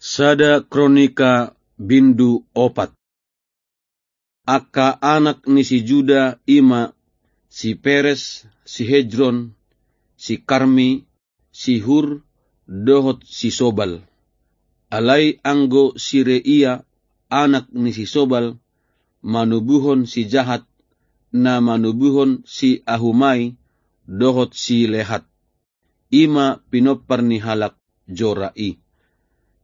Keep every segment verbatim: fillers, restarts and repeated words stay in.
Sada Kronika bindu opat. Angka anak ni si Juda i ma si Peres, si Hesron, si Karmi, si Hur, dohot si Sobal. Alai anggo si Reia, anak ni si Sobal, manubuhon si Jahat, na manubuhon si Ahumai, dohot si Lehat. I ma pinompar ni halak Zora i.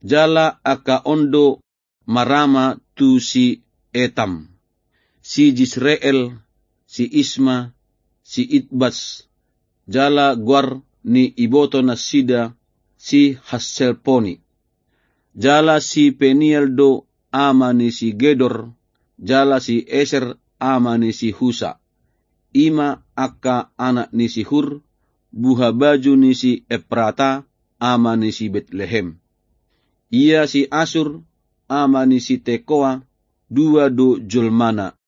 Jala angka on do marama tu si Etam, si Jisreel, si Isma, si Itbas, jala goar ni iboto nasida si Hasselponi. Jala si Peniel do ama ni si Gedor, jala si Eser ama ni si Husa. I ma angka anak ni si Hur, buhabaju ni si Eprata, ama ni si Betlehem. Ia si Asur, ama ni si Tekoa, dua do jolmana,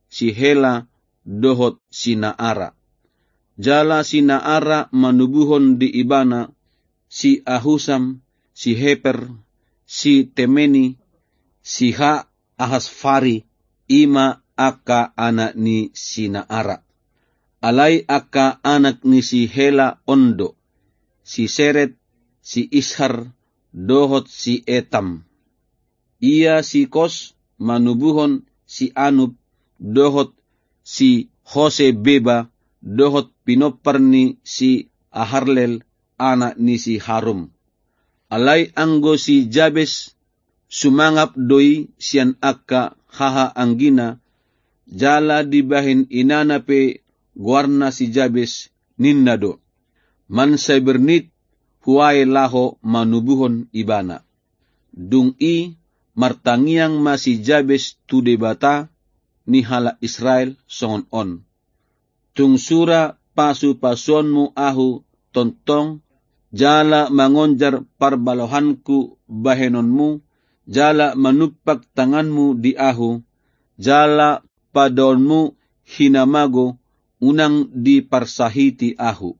si Hela dohot si Naara. Jala si Naara manubuhon di ibana si Ahusam, si Heper, si Temeni, si Ha Ahasfari, i ma angka anak ni si Naara. Alai angka anak ni si Hela on do, si Seret, si Ishar, dohot si Etam. Ia si Kos manubuhon si Anub, dohot si Hosebeba, dohot pinompar ni si Aharlel, anak ni si Harum. Alai anggo si Jabes, sumangap do i sian angka hahaanggina, jala dibahen inana pe goarna si Jabes, ninna do: Mansai bernit huae laho manubuhon ibana. Dung i martangiang ma si Jabes tu Debata ni halak Israel songon on: Tung sura pasupasuonmu ahu tongtong, jala mangonjar parbalohanku bahenonmu, jala manumpak tanganmu di ahu, jala padaonmu hinamago, unang diparsahiti ahu.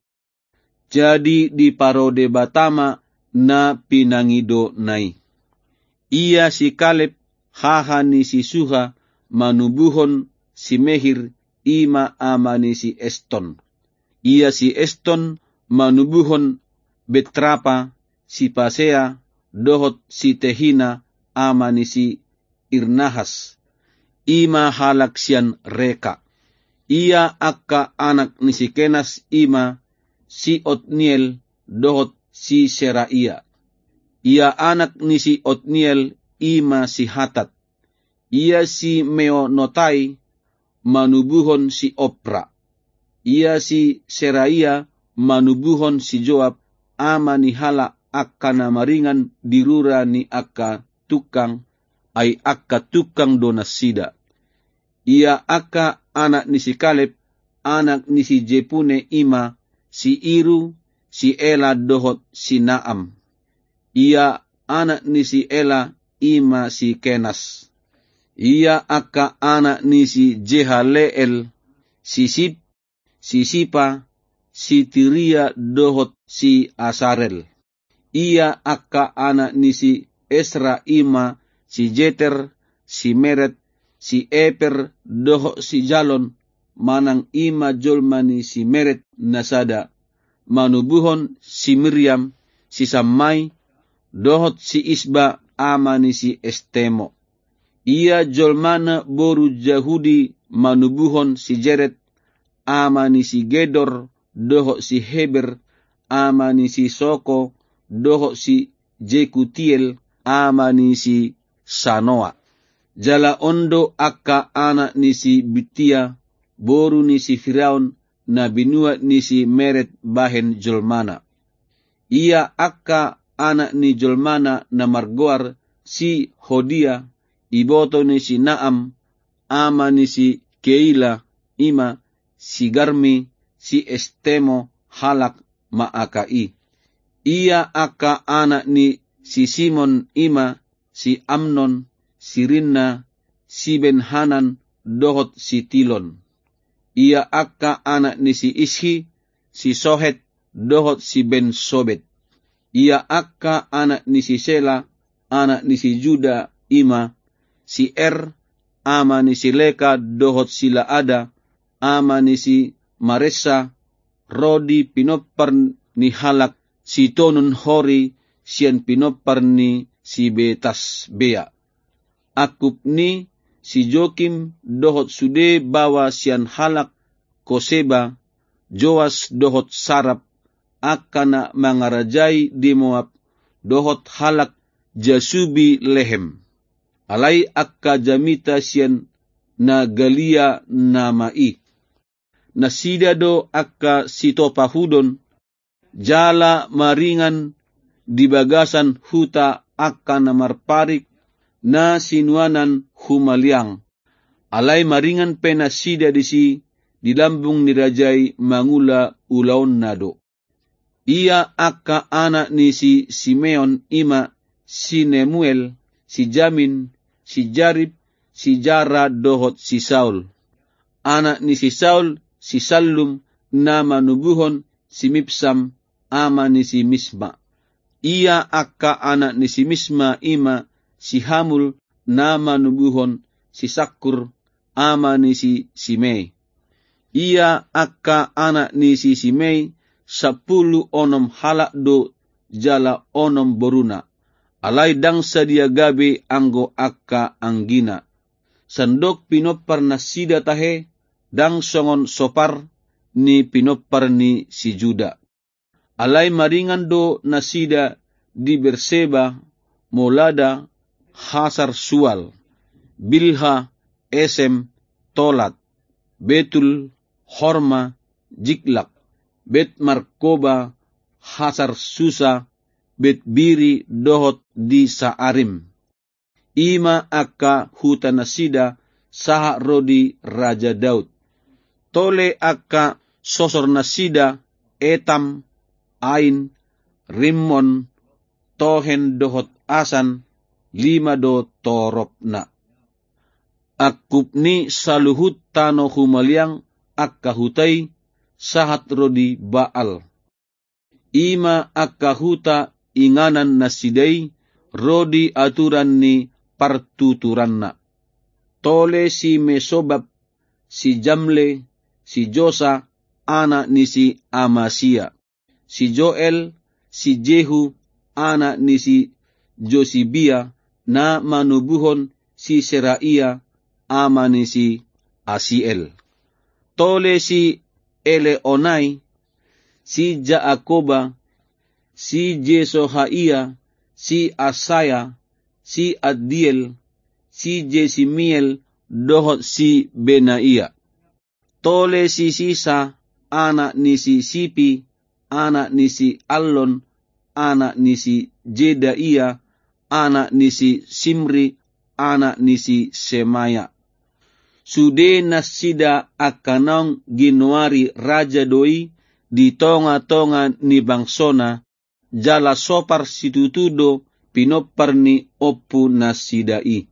Jadi diparo Debata ma na pinangidona i. Ia si Kaleb, haha ni si Suha, manubuhon si Mehir, i ma ama ni si Eston. Ia si Eston manubuhon Betrapa, si Pasea, dohot si Tehina, ama ni si Irnahas, i ma halak sian Reka. Ia angka anak ni si Kenas i ma si Otniel dohot si Seraia. Ia anak ni si Otniel i ma si Hatat. Ia si Meonotai manubuhon si Opra. Ia si Seraia manubuhon si Joab, ama ni halak angka na maringan di rura ni angka tungkang, ai angka tungkang do nasida. Ia angka anak ni si Kaleb, anak ni si Jepune i ma si Iru, si Ela dohot si Naam. Ia anak ni si Ela i ma si Kenas. Ia angka anak ni si Jehaleel, si Sip, si Sipa, si Tiria dohot si Asarel. Ia angka anak ni si Esra i ma si Jeter, si Meret, si Eper dohot si Jalon, manang i ma jolma ni si Meret na sada, manubuhon si Miriam, si Sammai, dohot si Isba, ama ni si Estemo. Ia jolmana boru Jahudi manubuhon si Jeret, ama ni si Gedor, dohot si Heber, ama ni si Soko, dohot si Jekutiel, ama ni si Sanoa. Jala on do angka anak ni si Bittia, boru ni si Firaun, na binuat ni si Meret bahen jolmana. Ia angka anak ni jolmana na margoar si Hodia, iboto ni si Naam, ama ni si Keila, i ma si Garmi, si Estemo, halak Maaka i. Ia angka anak ni si Simon i ma si Amnon, si Rinna, si Benhanan, dohot si Tilon. Ia angka anak ni si Ishi, si Sohet, dohot si Bensobet. Ia angka anak ni si Sela, anak ni si Juda, i ma si Er, ama ni si Leka, dohot si Laada, ama ni si Maresa, ro di pinompar ni halak sitonun Hori sian pinompar ni si Betasbea. Angkup ni si Jokim dohot sude baoa sian halak Koseba, Joas dohot Sarap, angka na mangarajai di Moab, dohot halak Jasubi Lehem. Alai angka jamita sian na galia nama i. Nasida do angka sitopahudon, jala maringan di bagasan huta angka na marparik, na sinuanan humaliang. Alai maringan pe nasida disi di lambung ni raja i mangula ulaonna do. Ia angka anak ni si Simeon i ma si Nemuel, si Jamin, si Jarib, si Jara dohot si Saul. Anak ni si Saul, si Sallum, na manubuhon si Mibsam, ama ni si Misma. Ia angka anak ni si Misma i ma si Hamul, na manubuhon si Sakkur, ama ni si Simei. Ia angka anak ni si Simei, sampulu onom halak do jala onom boruna. Alai ndang sadia gabe anggo angka anggina. Sandok pinompar nasida tahe, ndang songon sopar ni pinompar ni si Juda. Alai maringan do nasida di Berseba, Molada, Hasar Sual, Bilha, Esem, Tolat, Betul, Horma, Jiklak, Bet Markoba, Hasar Susa, Bet Biri dohot di Saarim. I ma angka huta nasida sahat ro di Raja Daud. Tole angka sosor nasida Etam, Ain, Rimmon, Tohen dohot Asan, lima do toropna. Angkup ni saluhut tano humaliang angka huta i sahat ro di Baal. I ma angka huta inganan nasida i ro di aturan ni partuturanna. Tole si Mesobab, si Jamle, si Josa, anak ni si Amasia, si Joel, si Jehu, anak ni si Josibia, na manubuhon si Seraia, ama ni si Asiel. Tole si Eleonai, si Jaakoba, si Jesohaia, si Asaya, si Addiel, si Jesimiel, dohot si Benaia. Tole si Sisa, anak ni si Sipi, anak ni si Allon, anak ni si Jedaia, anak ni si Simri, anak ni si Semaya. Sude nasida angka naung ginoari raja do i di tongatonga ni bangsona, jala sopar situtu do pinompar ni ompu nasida i.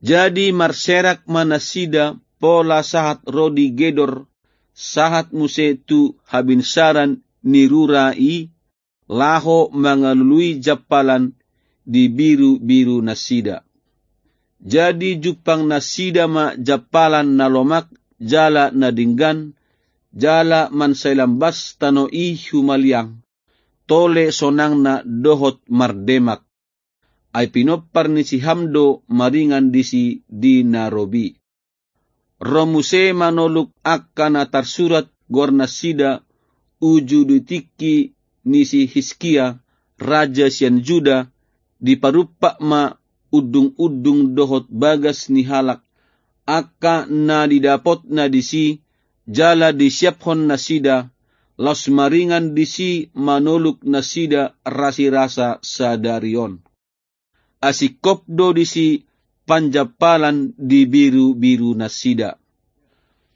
Jadi marserak ma nasida pola sahat ro di Gedor, sahat muse tu habinsaran ni rura i, laho mangalului jampalan di birubiru nasida. Jadi jumpang nasida ma jampalan na lomak jala na denggan, jala mansai lambas tano i humaliang, tole sonangna dohot mardemak. Ai pinompar ni si Ham do maringan disi di na robi. Ro muse manoluk angka na tarsurat goarnasida uju di tingki ni si Hiskia, raja sian Juda, diparumpak ma undungundung dohot bagas ni halak, angka na didapotna disi, jala disiaphon nasida, laos maringan disi manoluk nasida rasirasa sadari on. Asingkop do disi panjampalan di birubiru nasida.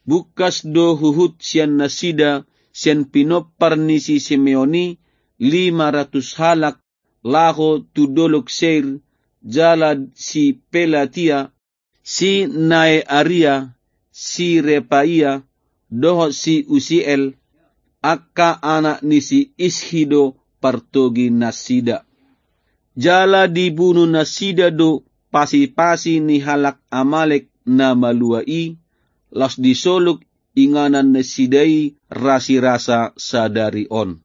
Bungkas do huhut sian nasida, sian pinompar ni si Simeon i, lima ratus halak, laho tu dolok Seir, jala si Pelatia, si Nearia, si Repaia, dohot si Usiel, angka anak ni si Ishi do partogi nasida. Jala dibunu nasida do pasi-pasi ni halak Amalek na malua i, laos disoluk inganan nasida i rasirasa sadari on.